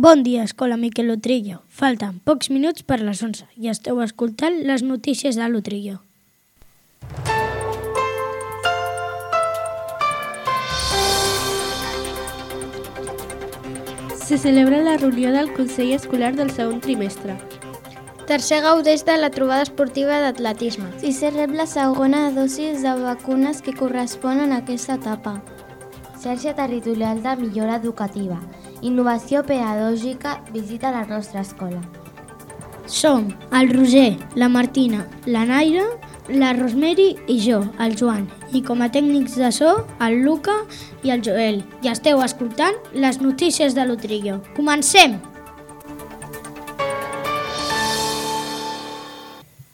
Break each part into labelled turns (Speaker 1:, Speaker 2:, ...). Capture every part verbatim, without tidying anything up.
Speaker 1: Bon dia, Escola Miquel Utrillo. Falten pocs minuts per les onze i esteu escoltant les notícies de l'Utrillo.
Speaker 2: Se celebra la reunió del Consell Escolar del segon trimestre.
Speaker 3: Tercer gaudeix de la trobada esportiva d'atletisme.
Speaker 4: I se rep la segona dosis de vacunes que corresponen a aquesta etapa.
Speaker 5: Xarxa territorial de millora educativa. Innovació pedagògica visita la nostra escola.
Speaker 1: Som el Roger, la Martina, la Naira, la Rosemary i jo, el Joan. I com a tècnics de so, el Luca i el Joel. I esteu escoltant les notícies de l'Utrillo. Comencem!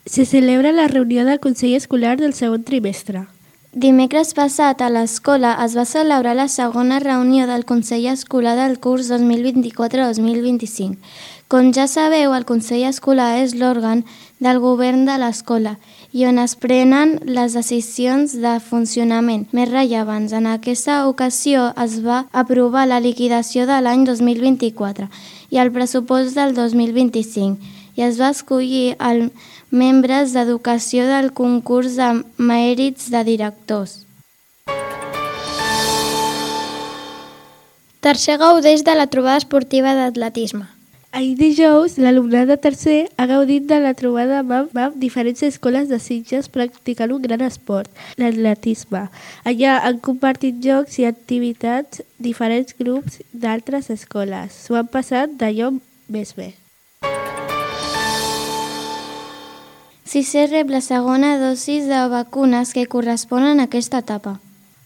Speaker 2: Se celebra la reunió del Consell Escolar del segon trimestre.
Speaker 4: Dimecres passat a l'escola es va celebrar la segona reunió del Consell Escolar del curs dos mil vint-i-quatre dos mil vint-i-cinc. Com ja sabeu, el Consell Escolar és l'òrgan del govern de l'escola i on es prenen les decisions de funcionament més rellevants. En aquesta ocasió es va aprovar la liquidació de l'any dos mil vint-i-quatre i el pressupost del dos mil vint-i-cinc i es va escollir el membres d'educació del concurs de mèrits de directors.
Speaker 3: Tercer gaudeix de la trobada esportiva d'atletisme.
Speaker 2: Ahir dijous, l'alumnat de tercer ha gaudit de la trobada amb, amb diferents escoles de Sitges practicant un gran esport, l'atletisme. Allà han compartit jocs i activitats diferents grups d'altres escoles. S'ho han passat d'allò més bé.
Speaker 4: Si se rep la segona dosis de vacunes que corresponen a aquesta etapa.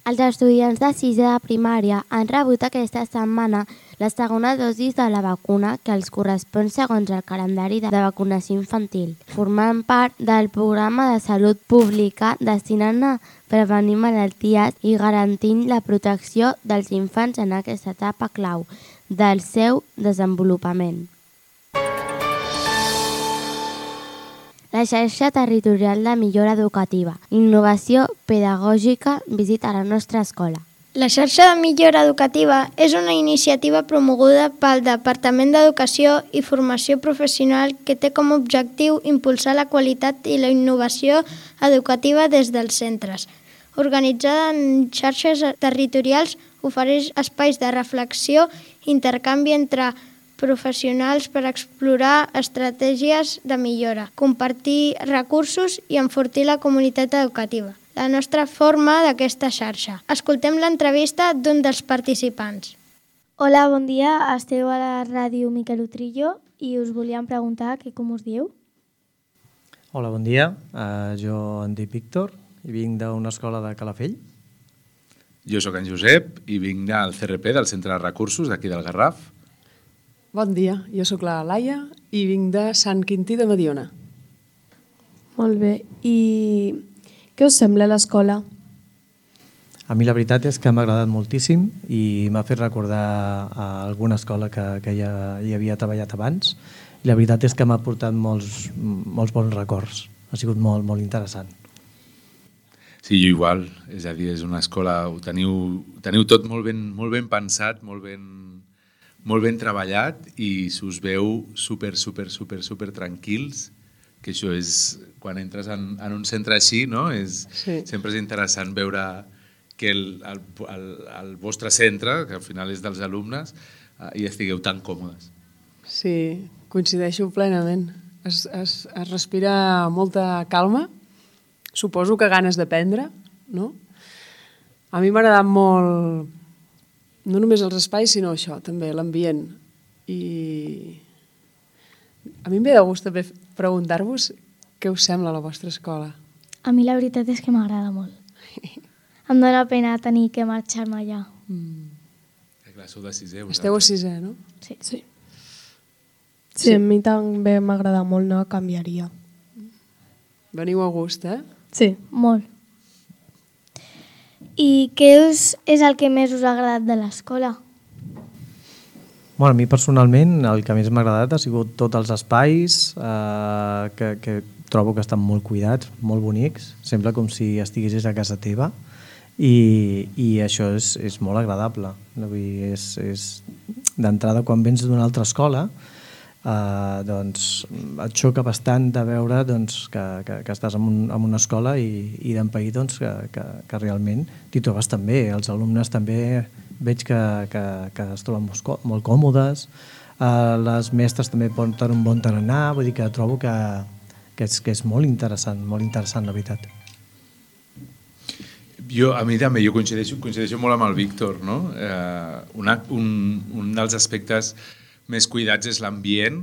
Speaker 5: Els estudiants de sisè de primària han rebut aquesta setmana la segona dosis de la vacuna que els correspon segons el calendari de vacunació infantil, formant part del programa de salut pública destinant a prevenir malalties i garantint la protecció dels infants en aquesta etapa clau del seu desenvolupament. La xarxa territorial de millora educativa, innovació pedagògica visita la nostra escola.
Speaker 3: La xarxa de millora educativa és una iniciativa promoguda pel Departament d'Educació i Formació Professional que té com a objectiu impulsar la qualitat i la innovació educativa des dels centres. Organitzada en xarxes territorials, ofereix espais de reflexió i intercanvi entre professionals per explorar estratègies de millora, compartir recursos i enfortir la comunitat educativa. La nostra forma d'aquesta xarxa. Escoltem l'entrevista d'un dels participants.
Speaker 6: Hola, bon dia. Esteu a la ràdio Miquel Utrillo i us volíem preguntar que com us dieu?
Speaker 7: Hola, bon dia. Uh, jo em dic Víctor i vinc d'una escola de Calafell.
Speaker 8: Jo sóc en Josep i vinc del C R P, del Centre de Recursos d'aquí del Garraf.
Speaker 9: Bon dia, jo sóc la Laia i vinc de Sant Quintí de Mediona.
Speaker 2: Molt bé, i què us sembla l'escola?
Speaker 7: A mi la veritat és que m'ha agradat moltíssim i m'ha fet recordar a alguna escola que, que ja hi havia treballat abans i la veritat és que m'ha portat molts, molts bons records. Ha sigut molt, molt interessant.
Speaker 8: Sí, jo igual, és a dir, és una escola, ho teniu, teniu tot molt ben, molt ben pensat, molt ben... molt ben treballat i s'us veu super, super, super, super tranquils, que això és, quan entres en, en un centre així, no? És, sí. Sempre és interessant veure que el, el, el, el vostre centre, que al final és dels alumnes, eh, hi estigueu tan còmodes.
Speaker 9: Sí, coincideixo plenament. Es, es, es respira molta calma, suposo que ganes d'aprendre, no? A mi m'ha agradat molt... no només els espais, sinó això, també, l'ambient. I a mi em ve de gust també preguntar-vos què us sembla la vostra escola.
Speaker 6: A mi la veritat és que m'agrada molt. Em dóna pena tenir que marxar-me allà.
Speaker 8: Mm. Eh, clar, sou de sisè.
Speaker 9: Esteu a sisè, no?
Speaker 6: Sí.
Speaker 2: Sí, sí a mi també m'agrada molt, no canviaria.
Speaker 9: Veniu a gust, eh?
Speaker 6: Sí. Molt. I què és, és el que més us ha agradat de l'escola?
Speaker 7: Bueno, a mi personalment el que més m'ha agradat ha sigut tots els espais eh, que, que trobo que estan molt cuidats, molt bonics, sembla com si estiguessis a casa teva i, i això és, és molt agradable. És, és, d'entrada, quan vens d'una altra escola, Uh, doncs et xoca bastant de veure doncs, que, que, que estàs en, un, en una escola i, i d'empair doncs, que, que, que realment t'hi trobes també. Els alumnes també veig que, que, que es troben molt, molt còmodes, uh, les mestres també porten un bon tarannà, vull dir que trobo que, que, és, que és molt interessant, molt interessant, la veritat.
Speaker 8: Jo, a mi també, jo coincideixo, coincideixo molt amb el Víctor, no? Eh, una, un, un dels aspectes més cuidats és l'ambient.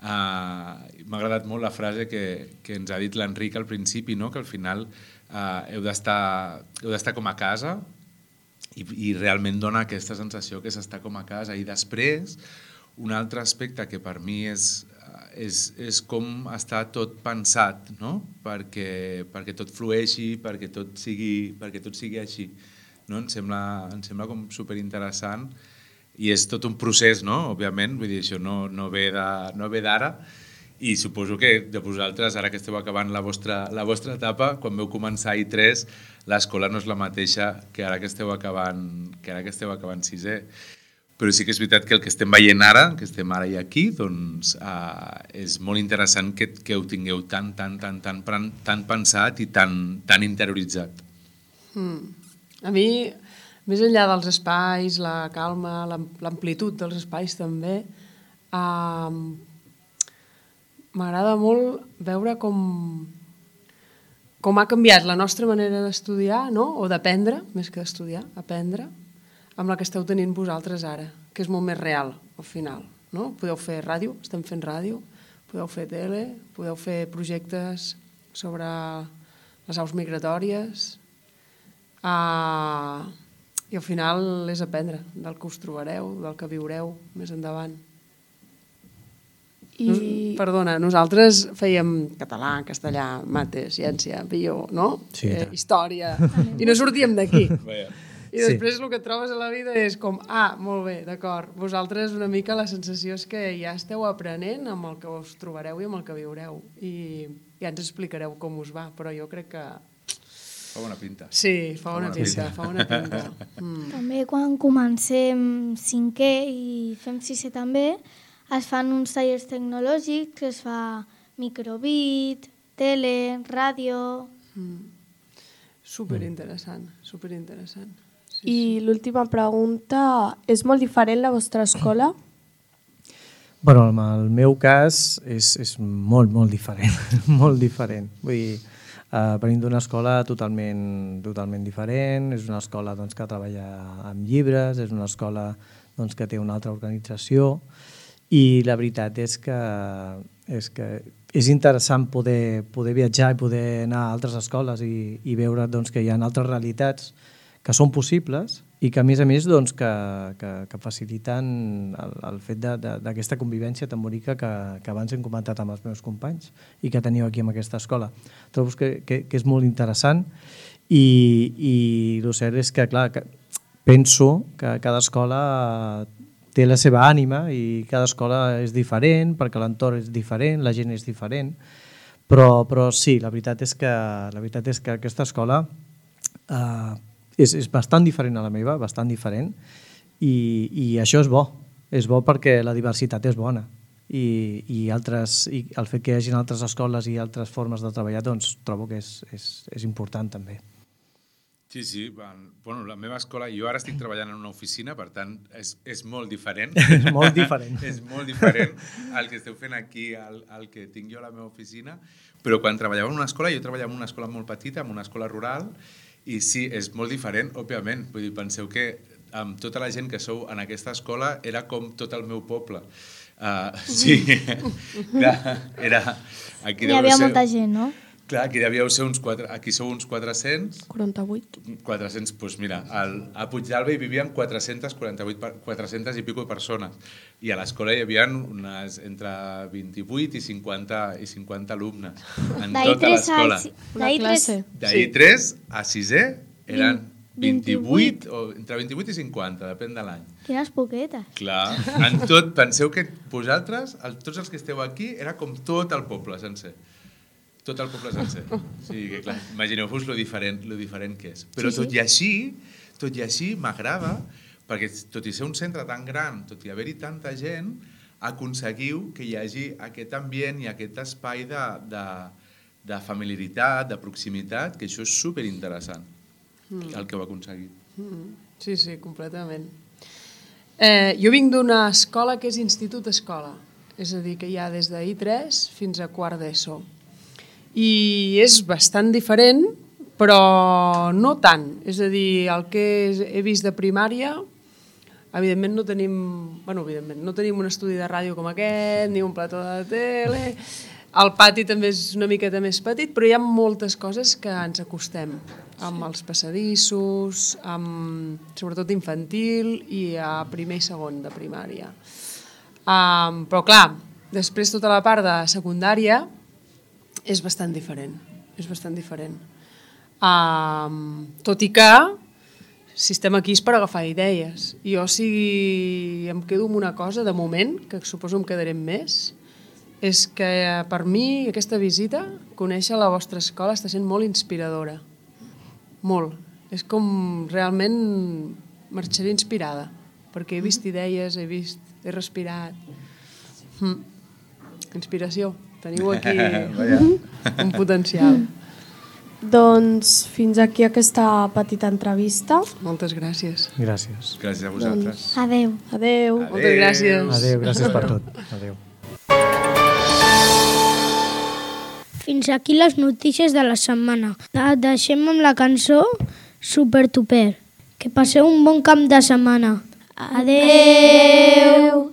Speaker 8: Uh, m'ha agradat molt la frase que, que ens ha dit l'Enric al principi, no? Que al final uh, heu d'estar heu d'estar com a casa i, i realment dona aquesta sensació que s'està com a casa. I després, un altre aspecte que per mi és, és, és com està tot pensat, no? perquè, perquè tot flueixi, perquè tot sigui, perquè tot sigui així. No? Em sembla, em sembla com superinteressant. I és tot un procés, no? Òbviament, vull dir, això no, no ve de- no ve d'ara, i suposo que de vosaltres, ara que esteu acabant la vostra, la vostra etapa, quan veu començar I tres, l'escola no és la mateixa que ara que esteu acabant, que ara que esteu acabant sisè. Però sí que és veritat que el que estem veient ara, que estem ara i aquí, doncs eh, és molt interessant que, que ho tingueu tan, tan, tan, tan, tan, tan pensat i tan, tan interioritzat.
Speaker 9: Mm. A mi, més enllà dels espais, la calma, l'am- l'amplitud dels espais també, eh, m'agrada molt veure com, com ha canviat la nostra manera d'estudiar, no? O d'aprendre, més que d'estudiar, aprendre, amb la que esteu tenint vosaltres ara, que és molt més real, al final. No? Podeu fer ràdio, estem fent ràdio, podeu fer tele, podeu fer projectes sobre les aus migratòries, uh, i al final és aprendre del que us trobareu, del que viureu més endavant.
Speaker 2: I...
Speaker 9: Nos, perdona, nosaltres fèiem català, castellà, mate, ciència, bio, no?
Speaker 7: Sí,
Speaker 9: eh,
Speaker 7: tant.
Speaker 9: història, i no sortíem d'aquí.
Speaker 8: Vaja.
Speaker 9: I després el que et trobes a la vida és com, ah, molt bé, d'acord, vosaltres una mica la sensació és que ja esteu aprenent amb el que us trobareu i amb el que viureu, i ja ens explicareu com us va, però jo crec que...
Speaker 8: Fa bona pinta.
Speaker 9: Sí, fa bona pinta, fa bona pinta. Mm.
Speaker 6: També quan comencem cinquè i fem sisè també, es fan uns tallers tecnològics, que es fa microbit, tele, ràdio...
Speaker 9: Mm. Superinteressant, superinteressant. Sí,
Speaker 2: I l'última pregunta, és molt diferent la vostra escola?
Speaker 7: Bueno, en el meu cas és, és molt, molt diferent, molt diferent. Vull dir, uh, venim d'una escola totalment, totalment diferent, és una escola doncs, que treballa amb llibres, és una escola doncs, que té una altra organització, i la veritat és que és, que és interessant poder, poder viatjar i poder anar a altres escoles i, i veure doncs, que hi ha altres realitats que són possibles i que a més a més doncs, que, que, que faciliten el, el fet d'aquesta convivència tan bonica que, que abans hem comentat amb els meus companys i que teniu aquí en aquesta escola. Trobo que, que, que és molt interessant i, i el cert és que, clar, que penso que cada escola té la seva ànima i cada escola és diferent perquè l'entorn és diferent, la gent és diferent, però, però sí, la veritat és que, la veritat és que aquesta escola eh, és, és bastant diferent a la meva, bastant diferent, i, i això és bo, és bo perquè la diversitat és bona i, i, altres, i el fet que hi hagi altres escoles i altres formes de treballar doncs trobo que és, és, és important també.
Speaker 8: Sí, sí. Bueno, la meva escola, jo ara estic treballant en una oficina, per tant, és, és molt diferent.
Speaker 7: És molt diferent.
Speaker 8: És molt diferent el que esteu fent aquí, el, el que tinc jo a la meva oficina, però quan treballava en una escola, jo treballava en una escola molt petita, en una escola rural, i sí, és molt diferent, òbviament. Vull dir, penseu que amb tota la gent que sou en aquesta escola era com tot el meu poble. Uh, sí, clar, era... Aquí
Speaker 6: Hi havia
Speaker 8: ser...
Speaker 6: molta gent, no?
Speaker 8: Clar, aquí devíeu ser uns quatre, aquí sou uns quatre-cents.
Speaker 2: quaranta-vuit.
Speaker 8: quatre-cents, doncs mira, al, a Puigdàlber hi vivien quatre-cents quaranta-vuit, quatre-cents i pico persones. I a l'escola hi havia unes entre vint-i-vuit i cinquanta, i cinquanta alumnes en tota l'escola.
Speaker 2: Una classe.
Speaker 8: D'I tres a sisè eren vint-i-vuit, o entre vint-i-vuit i cinquanta, depèn de l'any.
Speaker 6: Quines poquetes.
Speaker 8: Clar, en tot, penseu que vosaltres, el, tots els que esteu aquí, era com tot el poble sencer. Tot el poble sencer. O sigui que, clar, imagineu-vos lo diferent, lo diferent que és. Però
Speaker 6: Sí, sí.
Speaker 8: tot i així, tot i així m'agrada perquè tot i ser un centre tan gran, tot i haver-hi tanta gent, aconseguiu que hi hagi aquest ambient i aquest espai de, de, de familiaritat, de proximitat, que això és superinteressant, mm. el que heu aconseguit.
Speaker 9: Mm. Sí, sí, completament. Eh, jo vinc d'una escola que és institut-escola, és a dir, que hi ha des de I tres fins a quart d'ESO. I és bastant diferent, però no tant. És a dir, el que he vist de primària, evidentment no tenim, bueno, evidentment, no tenim un estudi de ràdio com aquest, ni un plató de tele, el pati també és una miqueta més petit, però hi ha moltes coses que ens acostem, amb els passadissos, amb, sobretot infantil i a primer i segon de primària. Um, però clar, després tota la part de secundària és bastant diferent, és bastant diferent. Um, tot i que si estem aquí és per agafar idees. Jo si em quedo amb una cosa de moment, que suposo em quedaré més, és que per mi aquesta visita, conèixer la vostra escola està sent molt inspiradora. Molt. És com realment marxaré inspirada, perquè he vist idees, he vist, he respirat. Mm. Inspiració. Teniu aquí un potencial.
Speaker 10: Doncs fins aquí aquesta petita entrevista.
Speaker 9: Moltes gràcies.
Speaker 7: Gràcies.
Speaker 8: Gràcies a vosaltres.
Speaker 3: Doncs, adeu.
Speaker 10: Adeu.
Speaker 9: Adeu. Moltes gràcies.
Speaker 7: Adeu, gràcies per tot. Adeu.
Speaker 1: Fins aquí les notícies de la setmana. Et deixem amb la cançó Super Tuper. Que passeu un bon cap de setmana. Adeu.